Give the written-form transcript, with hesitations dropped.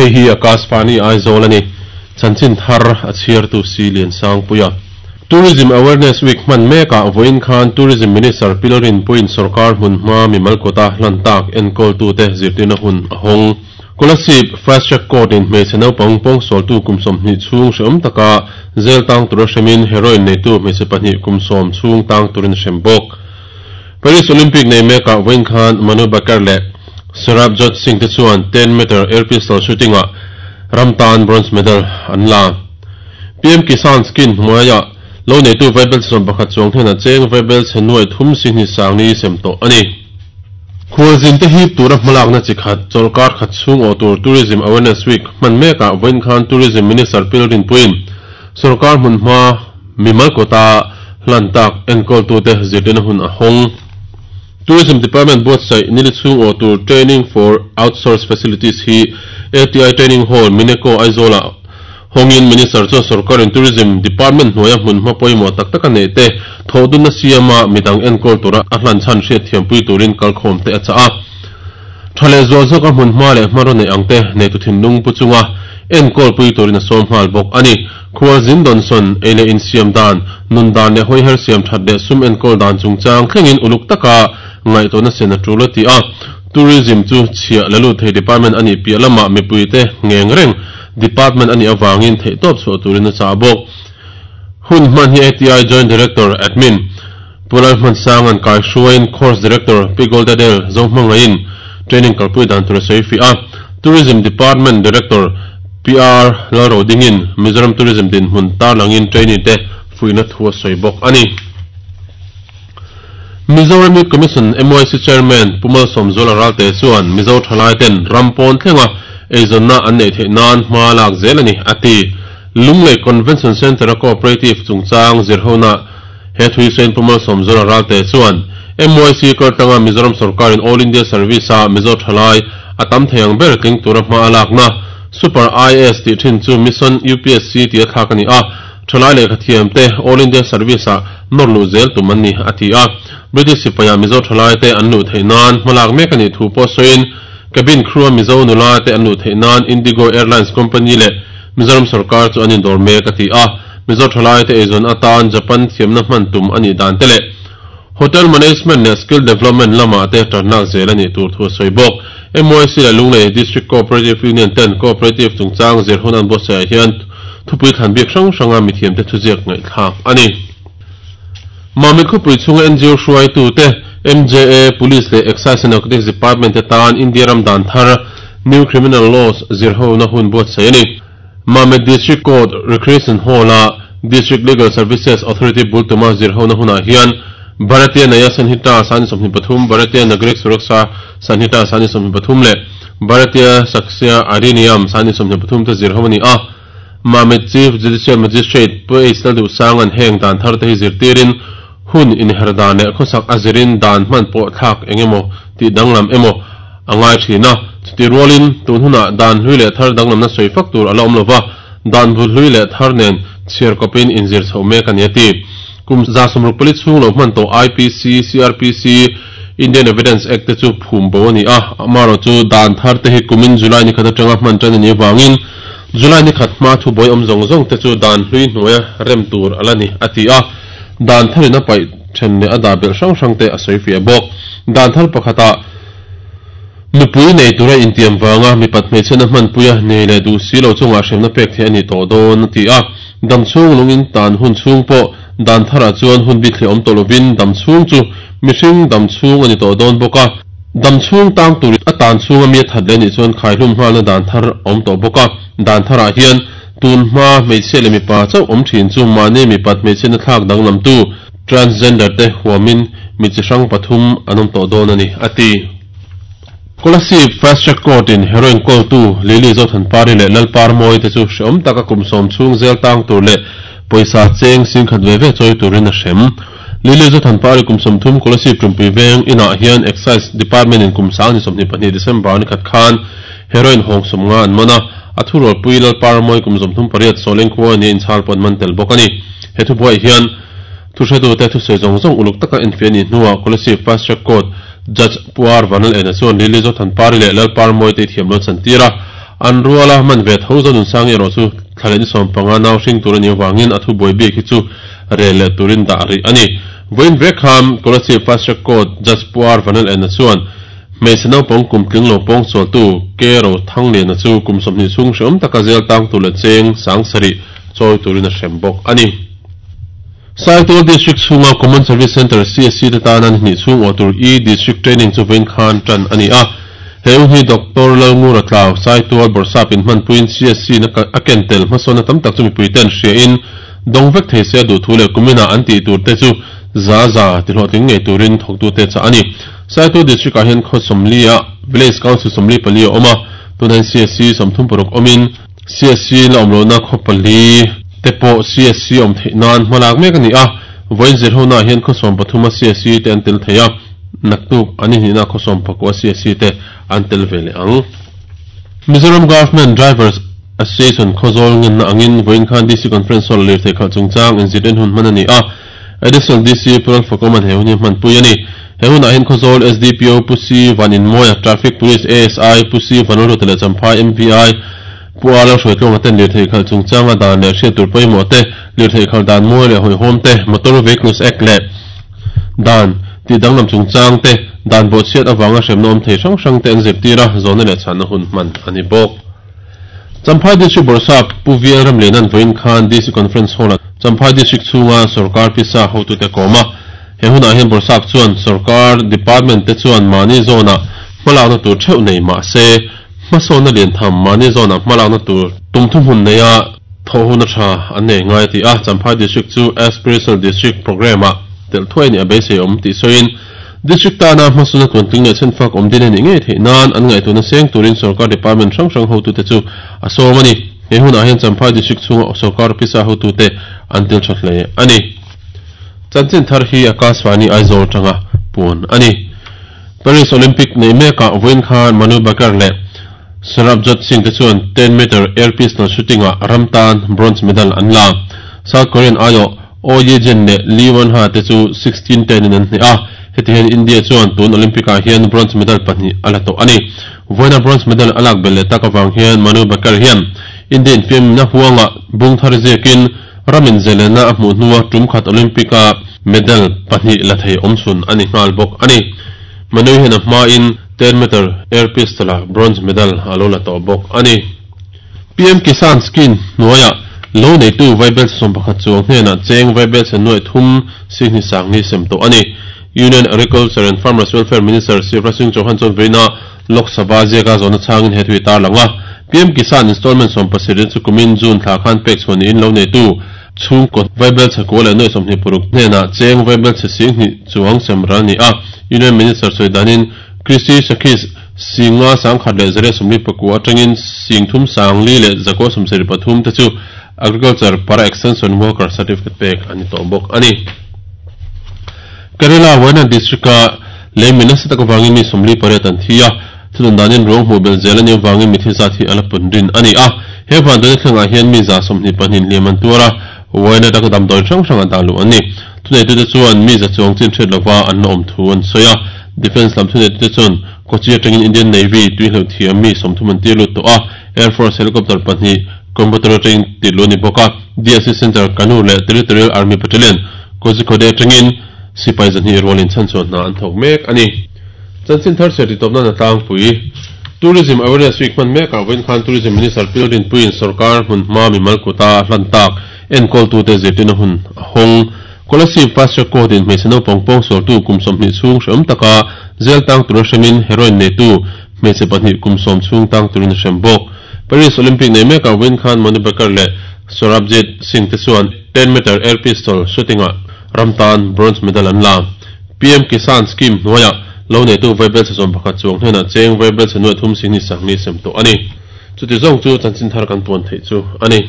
Hei hi Akashvani Aizawl a ni. Chanchin thar a chhiartu Si Liansangpuia. Tourism Awareness Week hman mekah vawiin khan Tourism Minister Pilrin Puiin sorkar hmunhma mimal kawta hlan tak enkawltute zirtirna hun a hawng. Kolasib Fast Track Court in hmeichhe naupang pawngsualtu kum 20 chhung hrehawm taka zel tang tura hremin heroin neitu hmeichhe pahnih kum 10 chhung tang turin a hrem bawk. Paris Olympic nei mekah vawiin khan Manu Bhaker leh Sarabjot Singh te chuan 10 meter air pistol shooting ah ram tan bronze medal an la. PM Kisan Scheme hnuaiah lo neitu vaibel 11 chuang hnenah cheng vaibel chhe nuai thum si hnih sang ni sem tawh a ni. Khualzin te hip tura hmalakna chi khat chawlhkar khat chhung awh tur Tourism Awareness Week hman mekah vawiin khan Tourism Minister Pilrinpuiin sorkar hmunhma mimal kawta hlan tak enkawltute zirtirna hun a hawng. Tourism Department buatsaih nili chhung awh tur Training for Outsource Facilities hi ATI Training Hall, Mineco, Aizawl-ah hawngin Minister chuan sorkarin Tourism Department hnuaia hmunhma pawimawh tak tak a neih te thawhdunna siama midang enkawl tura a hlan chhan hriatthiampui turin kalkhawm te a chah a. Tha leh zual zawka hmunhma leh hmanraw neih ang te neitu thinlung pu chunga enkawlpui turin a sawm nghal bawk a ni. Khualzin Donson, ei leh insiam dan, nun dan leh hawiher siam that leh sum enkawl dan chungchang thlengin uluk taka ngaihtuahna sen a tul a ti a. Tourism chu chhiah la lut thei department a nih piah lamah mipuite ngeng reng department a nih avangin theihtawp chhuah turin a chah bawk. Hun hman hi ATI Joint Director, Admin, Pu Lalhmansanga'n kaihruaiin Course Director Pi Goldadel Zohmangaiin training kalpui dan tur a sawi fiah a. Tourism Department Director PR Lalrodingin Mizoram Tourism dinhmun tarlangin trainee te fuihna thu a sawi bawk a ni. Mizoram Youth Commission, MYC, Chairman Pu Malsawmzuala Ralte chuan Mizo thalai ten ram pawn thlenga eizawnna an neih theih nan hma lak zel a ni, a ti. Lunglei Convention Centre-a Cooperative chungchang zirhona he thui sawiin Pu Malsawmzuala Ralte chuan MYC kaltlanga Mizoram sorkarin All India Service-a Mizo thalai a tam thei ang ber tling tura hma a lakna Super IAS tih thin chu Mission UPSC tia thlak a ni a, Thalai lehkhathiam te All India Service ah nawr luh zel tum an ni, a ti a. British sipaia Mizo thalai te an luh theih nan hmalak mek a nih thu pawh sawiin, Cabin crew a Mizo nula te an luh theih nan Indigo Airlines Company leh Mizoram sorkar chu an indawr mek, a ti a. Mizo thalai te eizawn atan Japan thiamna hman tum a nih dan te leh Hotel Management leh Skill Development lamah te tanlak zel a nih tur thu a sawi bawk. MYC leh Lunglei District Cooperative Union ten Cooperative chungchang zir hun an buatsaihah hian thupui thlan bik hrang hranga mithiamte thuziak ngaihthlak a ni. Mamit khawpui chhunga NGO hruaitute, MJA, Police leh Excise and Narcotics Department te tan India ram dan thar, New Criminal Laws, zirhona hun buatsaih a ni. Mamit District Court Recreation Hall-a District Legal Services Authority bul tuma zirhona hunah hian Bharatiya Nyaya Sanhita sani 23, Bharatiya Nagrik Suraksha Sanhita sani 23 leh Bharatiya Sakshya Adhiniyam sani 23 te zirho a ni a. Mamit Chief Judicial Magistrate Pu H Lalduhsanga'n heng dan thar te hi zirtirin hun inher dan leh khawsak a zirin dan hman pawh thlak eng emaw tih danglam emaw a ngai thin a. Chutih rualin tun hunah dan hlui leh thar danglamna sawi fak tur a la awm lova, dan bul hlui leh thar nen chhiar kawpin inzir chhoh mek a ni a ti. Kum 164 chhung lo hman tawh IPC, CrPC, Indian Evidence Act te chu phum bo a ni a, amaherawh chu dan thar te hi kumin July ni khat atanga hman tan a nih avangin July ni khat hma thubuai awm zawng zawng te chu dan hlui hnuaia rem tur a la ni, a ti a. Dan tharin a paih then leh a dah belh hrang hrang te a sawi fiah bawk. Dan thar pakhatah nupui nei tura intiam vanga mipat hmeichhiatna hmanpuia nei leh duh si lo chungah hremna pek theih a ni tawh dawn, a ti a. Dam chhung lungin tan hun chhung pawh dan tharah chuan hun bik thliah awm tawh lovin dam chhung chu mihring dam chhung a ni tawh dawn bawk a. Dam chhung tang tur a tan chhunga mi a that leh nih chuan khaihlum nghalna dan thar a awm tawh bawk a. Dan tharah hian Tun hma hmeichhia leh mipa chauh awm thin chu mahni mipat hmeichhiatna thlak danglamtu transgender te huamin mi chi hrang pathum an awm tawh dawn a ni, a ti. Kolasib Fast Track Court in heroin kawltu Lily Zothanpari leh Lalparmawi te chu hreawm taka kum 10 chhung zel tang tur leh pawisa cheng 10,000 ve ve chawi turin a hrem. Lily Zothanpari kum 30 Kolasib Tumpui veng inah hian Excise Department in kum 2022 December ni khat khan heroin hawng 50 an man a, A thurualpui Lalparamawi kum 38 Sawleng khua nia inchhal pawh an man tel bawk a ni. He thubuaiah hian thuhretute thusawi zawng zawng uluk taka enfiah a nih hnuah Kolasib Fast Track Court Judge Pu R Vanlal Ena chuan Lily Zothanpari leh Lalparamawi te i thiam lo chan tir a. An ruala man ve tho Zonunsangi erawh chu thla leh ni 15 nau hring tur a nih avangin a thubuai bik hi chu rel leh turin dah rih a ni. Vawiin vek khan Kolasib Fast Track Court Judge Pu R Vanel Enna chuan hmeichhe naupang kum tling lo pawng sualtu K Ro Thangliana chu kum 20 chhung hreawm taka zel tang tur leh cheng 7000 chawi turin a hrem bawk a ni. Saitual District chhunga Common Service Centre, CSC, te tana ni hnih chhung awh tur E-District Training chu vawiin khan tan a ni a. He u hi Doctor Lalngura Tlau, Saitual Bawrhsap inhmanpuiin CSC na a ken tel hmasawnna tam tak chu mipuiten hriain dawng vek thei se a duh thu leh kuminah an tih tur te chu za za tihlawhtling ngei turin thawktute chah a ni. Saitual District ah hian khaw 40 ah Village Council 44 a awm a, tunah hian CSC 36 awmin, CSC la awm lohna khaw pali te pawh CSC awm theih nan hma lak mek a ni a, vawiin zirhona ah hian khaw 13 a CSC te an tel thei a, naktuk an inhnihna khaw 19 a CSC te an tel ve leh ang. Mizoram Government Drivers Association Khawzawl ngenna angin vawiin khan DC Conference Hall lirthei khalh chungchang inzirtir hun hman a ni a, Additional DC Pu Lalfakawma'n he hun hi a hmanpui a ni. He hunah hian Khawzawl SDPO Pu C Van Inmawia, Traffic Police ASI Pu C Van Lalruata leh Champhai MVI Pu A Lalhruaitluanga ten lirthei khalh chungchanga dan leh hriat tur pawimawh te, lirthei khalh dan mawi leh hawihhawm te, Motor Vehicles Act leh dan tih danglam chungchang te, dan bawhchhiat avanga hremna awm thei hrang hrang te an zirtir a, zawhna leh chhanna hun hman a ni bawk. Champhai District Bawrhsap Pu VL Ramliana'n vawiin khan DC Conference Hall-ah Champhai District chhunga sawrkar pisa hotute a kawm a. He hunah hian Bawrhsap chuan sawrkar department te chuan mahni zawnah hmalakna tur theuh nei mah se, hmasawnna lian tham mahni zawnah hmalakna tur tum thuhmun neia thawh hun a tha an nei ngai a ti a. Champhai District chu Aspirational District Programme-ah telh thuai a nih a beiseiawm tih sawiin, District tana hmasuna tuantling leh chhenfak awm din a nih ngei theih nan an ngaihtuahna seng turin sawrkar department hrang hrang hotute chu a sawm a ni. He hunah hian Champhai District chhunga sawrkar officer hotute an tel tha hle a ni. Chanchin thar hi Akashvani Aizawl tanga puan a ni. Paris Olympic neih mekah vawiin khan Manu Bhaker leh Sarabjot Singh te chuan 10 meter air pistol shooting ah ram tan bronze medal an la. South Korean aiawh Oh Ye-jin leh Lee Wan-ha te chu 16-10 in an hneh a, heti hian India chuan tun Olympic ah hian bronze medal pahnih a la tawh a ni. Vawiina bronze medal a lak belh leh tak avang hian Manu Bhaker hian India infiamna huangah bung thar ziakin ram inzelenna a hmuh hnua tum khat Olympic a medal pahnih la thei awmchhun a ni nghal bawk a ni. Manu hian a hmain 10 meter air pistol ah bronze medal a lo la tawh bawk a ni. PM Kisan Scheme hnuaiah lo neitu vaibelchhe 11 chuang hnenah cheng vaibelchhe nuaih thum sihni sangni sem tawh a ni. Union Agriculture and Farmers Welfare Minister Shivraj Singh Chauhan chuan vawiina Lok Sabha ziaka zawhna chhangin he thu hi tarlang a. PM Kisan installment 70 chu kumin June thla khan pek chhuah niin lo neitu chhungkaw vaibelchhe kua leh nuaih 26 hnenah cheng vaibelchhe 20 chuang sem ral a ni a. Union Minister sawi danin Krishi Sakhis 5,149 atangin 3,473 te chu Agriculture Para Extension Worker Certificate pek an ni tawh bawk a ni. Kerala Wayanad District-a lei mi nasa tak avangin mi 48 an thi a, thudun danin ruang hmuh belh zel a nih avangin mithi zat hi a la pun rin a ni a. He vanduaina thlengah hian mi 122 hliam an tuar a, Wayanad-a damdawi hrang hrang a dah luh an ni. Thuneitute chuan mi za chuang chin hriat lova an la awm thu an sawi a. Defence lam thuneitute chuan Kochi atangin Indian Navy tui hleuh thiam mi 30 an tir lut tawh a, Air Force helicopter pahnih Coimbatore atangin tir luh a ni bawk a. DSC Centre Kannur leh Territorial Army Battalion Kozhikode atangin sipai 200 rualin chhanchhuah hna an thawk mek a ni. Chanchin thar chhiar titawpna na tlangpui Tourism Awareness Week hman mekah vawiin khan Tourism Minister Pil Rinpuiin sorkar hmun hma mimal kuta a hlan tak enkawltute zirtirna hun a hawng. Kolasib Fast Track Court in hmeichhe naupang pawngsualtu kum 20 chhung hreawm taka jail tang tura hremin heroin neitu hmeichhe pahnih kum 10 chhung tang turin a hrem bawk. Paris Olympic nei mekah vawiin khan Manu Bhaker leh Sarabjit Singh te chuan 10 meter air pistol shooting ah ram tan bronze medal an la. PM Kisan Scheme hnuaiah lo neitu vaibelchhe 11 chuang hnenah cheng vaibelchhe nuaih thum singni sangni sem tawh a ni. Chuti zawng chu chanchin thar kan puan theih chu a ni.